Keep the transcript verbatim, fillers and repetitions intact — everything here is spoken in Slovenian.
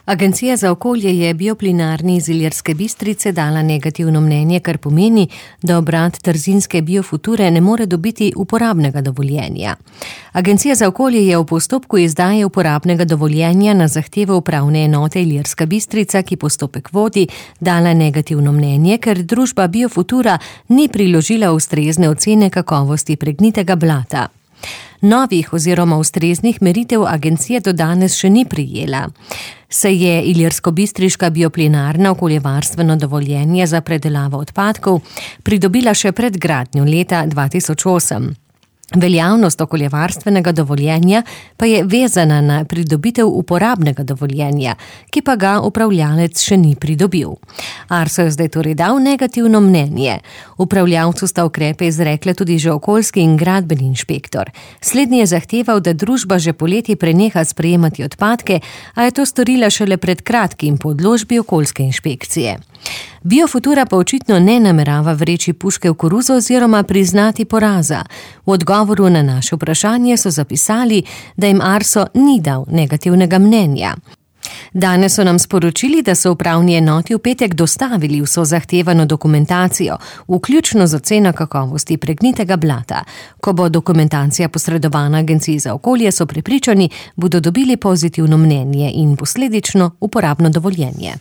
Agencija za okolje je bioplinarni iz Ilirske Bistrice dala negativno mnenje, kar pomeni, da obrat trzinske biofuture ne more dobiti uporabnega dovoljenja. Agencija za okolje je v postopku izdaje uporabnega dovoljenja na zahtevo upravne enote Ilirska Bistrica, ki postopek vodi, dala negativno mnenje, ker družba Biofutura ni priložila ustrezne ocene kakovosti pregnitega blata. Novih oziroma ustreznih meritev agencija do danes še ni prijela. Se je ilirsko-bistriška bioplinarna okoljevarstveno dovoljenje za predelavo odpadkov pridobila še pred gradnjo leta dva tisoč osem. Veljavnost okoljevarstvenega dovoljenja pa je vezana na pridobitev uporabnega dovoljenja, ki pa ga upravljalec še ni pridobil. Arso je zdaj torej dal negativno mnenje. Upravljavcu sta ukrepe izrekle tudi že okoljski in gradbeni inšpektor. Slednji je zahteval, da družba že poleti preneha sprejemati odpadke, a je to storila šele pred kratkim po odločbi okoljske inšpekcije. Biofutura pa očitno ne namerava vreči puške v koruzo oziroma priznati poraza. V odgovoru na naše vprašanje so zapisali, da jim Arso ni dal negativnega mnenja. Danes so nam sporočili, da so upravni enoti v petek dostavili vso zahtevano dokumentacijo, vključno z oceno kakovosti pregnitega blata. Ko bo dokumentacija posredovana Agenciji za okolje, so prepričani, bodo dobili pozitivno mnenje in posledično uporabno dovoljenje.